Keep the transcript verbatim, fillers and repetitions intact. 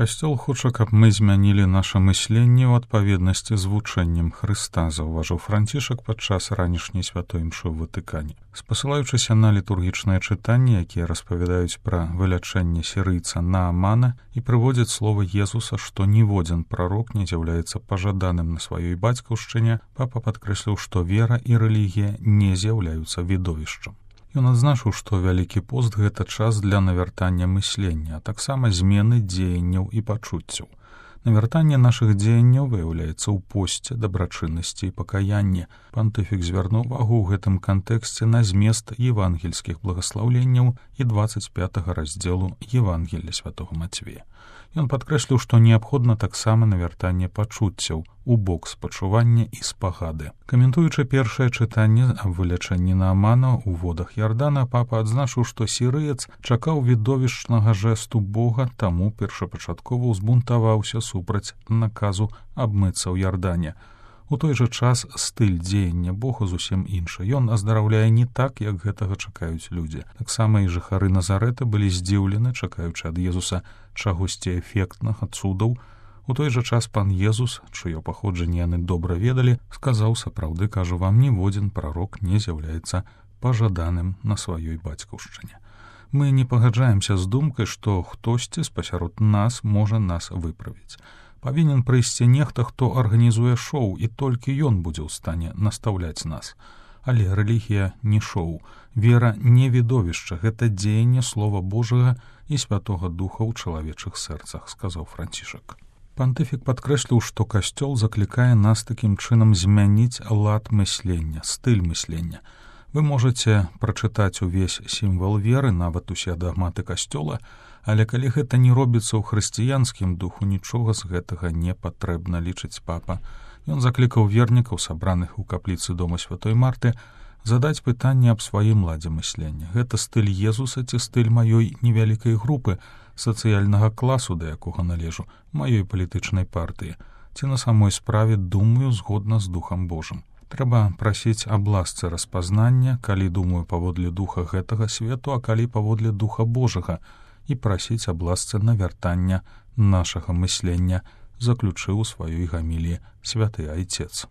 Касцёл хоча, каб мы змянілі наша мысленне ў адпаведнасці з вучэннем Хрыста, заўважыў Францішак падчас ранішняй святой імшы ў Ватыкане. Спасылаючыся на літургічныя чытанні, якія распавядаюць пра вылячэнне сірыйца Наамана і прыводзяць словы Езуса, што ніводзін прарок не з'яўляецца пажаданым на сваёй бацькаўшчыне, папа падкрэсліў, што вера і рэлігія не з'яўляюцца відовішчам. Ён адзначыў, што вялікі пост — гэта час для навяртання мыслення, а таксама змены дзеянняў і пачуццяў. Навяртанне нашых дзеянняў выяўляецца ў посце, дабрачыннасці і пакаянні. Пантыфік звярнуў увагу ў гэтым кантэксце на змест евангельскіх благаслаўленняў і дваццаць пятага раздзелу Евангелля святога Мацвея. Ён падкрэсліў, што неабходна таксама навяртанне пачуццяў у бок спачування і спагады. Каментуючы першае чытанне аб вылячэнні Наамана ў водах Ярдана, папа адзначыў, што сірыец чакаў відовішчнага жэсту Бога, таму першапачаткова ўзбунтаваўся супраць наказу абмыцца ў Ярдане. У той жа час стыль дзеяння Бога зусім іншы. Ён аздараўляе не так, як гэтага чакаюць людзі. Таксама і жыхары Назарэта былі здзіўлены, чакаючы ад Езуса чагосьці эфектнага, цудаў. У той жа час пан Езус, чыё паходжанне яны добра ведалі, сказаў: сапраўды, кажу вам, ніводзін прарок не з'яўляецца пажаданым на сваёй бацькаўшчыне. Мы не пагаджаемся з думкай, што хтосьці спасярод нас можа нас выправіць. Павінен прыйсці нехта, хто арганізуе шоу, і толькі ён будзе ў стане настаўляць нас. Але рэлігія не шоу, вера не відовішча, гэта дзеянне Слова Божага і Святога Духа ў чалавечых сэрцах, сказаў Францішак. Пантыфік падкрэсліў, што Касцёл заклікае нас такім чынам змяніць лад мыслення, стыль мыслення. Вы можаце прачытаць увесь сімвал веры, нават усе дагматы Касцёла, але калі гэта не робіцца ў хрысціянскім духу, нічога з гэтага не патрэбна, лічыць папа. Ён заклікаў вернікаў, сабраных у капліцы дома святой Марты, задаць пытанне аб сваім ладзе мыслення. Гэта стыль Езуса ці стыль маёй невялікай групы, сацыяльнага класу, да якога належу, маёй палітычнай партыі, ці на самой справе думаю згодна з Духам Божым. Трэба прасіць аб ласцы распазнання, калі думаю паводле духа гэтага свету, а калі паводле Духа Божага, і прасіць аб ласцы навяртання нашага мыслення, заключыў у сваёй гаміліі святы айцец.